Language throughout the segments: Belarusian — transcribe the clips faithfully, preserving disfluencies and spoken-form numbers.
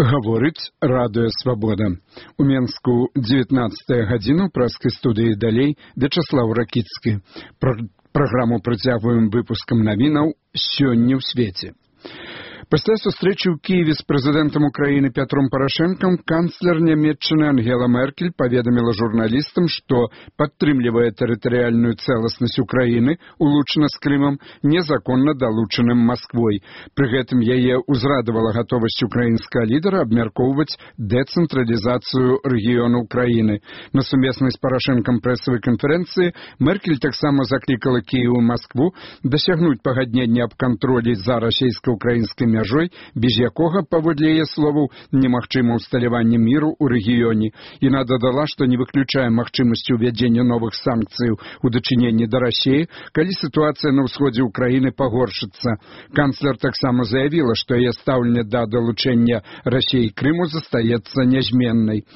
Гаворыць радыё «Свабода». У Менску дзевятнаццатая гадзіна, у праскай студыі далей Вячаслаў Ракіцкі. Пр праграму працягваем выпускам навінаў «Сёння ў свеце». Пасля сустрэчы ў Киеве з прэзідэнтам Украіны Пятром Парашэнкам канцлер Нямецчыны Ангела Меркель паведаміла журналістам, што падтрымлівае тэрытарыяльную цэласнасць Украіны, улучшана з Крымам, незаконна далучаным Масквой. Пры гэтым яе ўзрадавала гатовасць украінскага лідара абмяркоўваць дэцэнтралізацыю рэгіёну Украіны. На сумеснай з Парашэнкам прэсавай канферэнцыі Меркель таксама заклікала Кіеў і Маскву дасягнуць пагаднення аб кантролі за расійска-украінскай мяжой, без якога, паводле яе словаў, немагчыма ўсталяванне міру ў рэгіёне. Яна дадала, што не выключае магчымасці ўвядзення новых санкцыяў у дачыненні да Расіі, калі сітуацыя на ўсходзе ўкраіны пагоршыцца. Канцлер таксама заявіла, што яе стаўленне да далучэння Расіі Крыму застаецца нязменнай.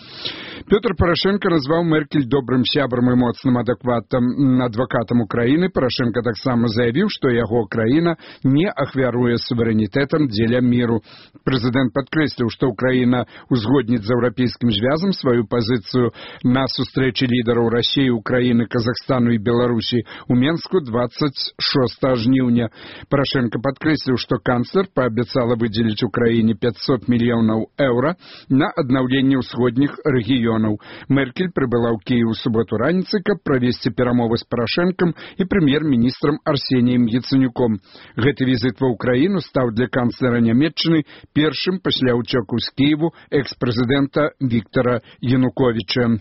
Пётр Парашэнка назваў Меркель добрым сябрам і моцным адэкватам адвакатам Украіны. Парашэнка таксама заявіў, што яго краіна не ахвяруе суверэнітэтам дзеля міру. Прэзідэнт падкрэсліў, што Украіна узгодніць з еўрапейскім звязам сваю пазіцыю на сустрэчы лідараў Расіі, Украіны, Казахстану і Беларусі у Менску дваццаць шостага жніўня. Парашэнка падкрэсліў, што канцлер паабяцала выдзеліць Украіне пятьсот мільёнаў еўра на аднаўленне ўсходніх рэгіёнаў. Меркель прыбыла ў Кіеў у суботу раніцай, каб правесці перамовы з Парашэнкам і прэм'ер-міністрам Арсеніем Яцэнюком. Гэты візіт ва ўкраіну стаў для канцлера Нямецчыны першым пасля ўцёку з Кіеву экс-прэзідэнта Віктара Януковіча.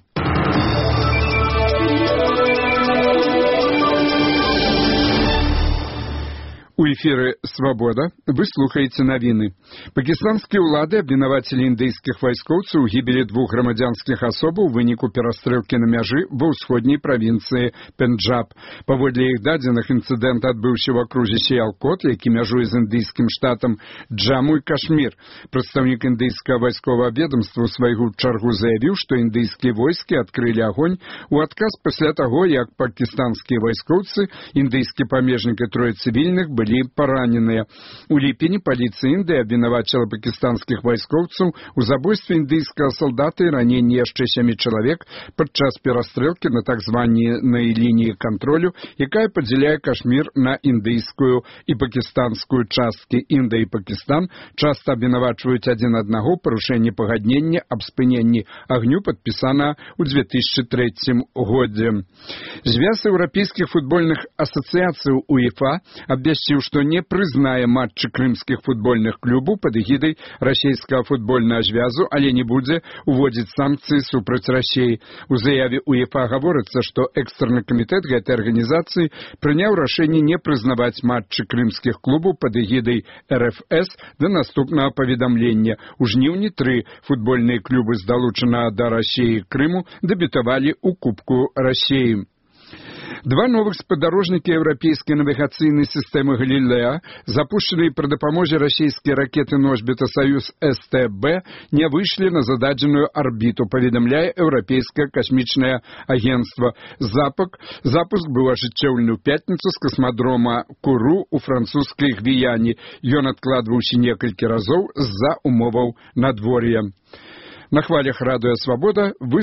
У эфіры «Свабода» вы слухаеце навіны. Пакістанскія ўлады абвінавацілі індыйскіх вайскоўцаў у гібелі двух грамадзянскіх асобаў у выніку перастрэлкі на мяжы ва ўсходняй правінцыі Пенджаб. Паводле іх дадзеных, інцыдэнт адбыўся ў акрузе Сіялкот, які мяжуе з індыйскім штатам Джаму і Кашмір. Прадстаўнік індыйскага вайсковага ведамства ў сваю чаргу заявіў, што індыйскія войскі адкрылі агонь у адказ пасля таго, як пакістанскія вайскоўцы, індыйскі памежнік і трое цывільных былі параненыя. У ліпені паліцыя Індыі абвінавачыла пакістанскіх вайскоўцаў у забойстве індыйскага салдата і раненні яшчэ сямі чалавек падчас перастрэлкі на так званай лініі кантролю, якая падзяляе Кашмір на індыйскую і пакістанскую часткі. Індыя і Пакістан часта абвінавачваюць адзін аднаго ў парушэнні пагаднення аб спыненні агню, падпісана ў две тысячы трэцім годзе. Звяз еўрапейскіх футбольных асацыяцый УЕФА абвясціў, што не прызнае матчы крымскіх футбольных клубаў пад эгідай расійскага футбольнага звязу, але не будзе уводзіць санкцыі супраць Расіі. У заяве УЕФА гаворыцца, што экстраны камітэт гэтай арганізацыі прыняў рашэнне не прызнаваць матчы крымскіх клубаў пад эгідай эр эф эс да наступнага паведамлення. У жніўні тры футбольныя клубы з далучанага да Расіі Крыму дэбютавалі ў Кубку Расіі. Два новых спадарожнікі еўрапейскай навігацыйнай сістэмы «Галілеа», запушчаныя пры дапамозе расійскія ракеты-носьбіта «Саюз эс тэ бэ», не выйшлі на зададзеную арбіту, паведамляе Еўрапейскае касмічнае агенцтва. Запуск, запуск быў ажыццёўлены ў пятніцу з касмадрома Куру ў французскай Гвіяне. Ён адкладваўся некалькі разоў з-за умоваў надвор'я. На хвалях радыё «Свабода» вы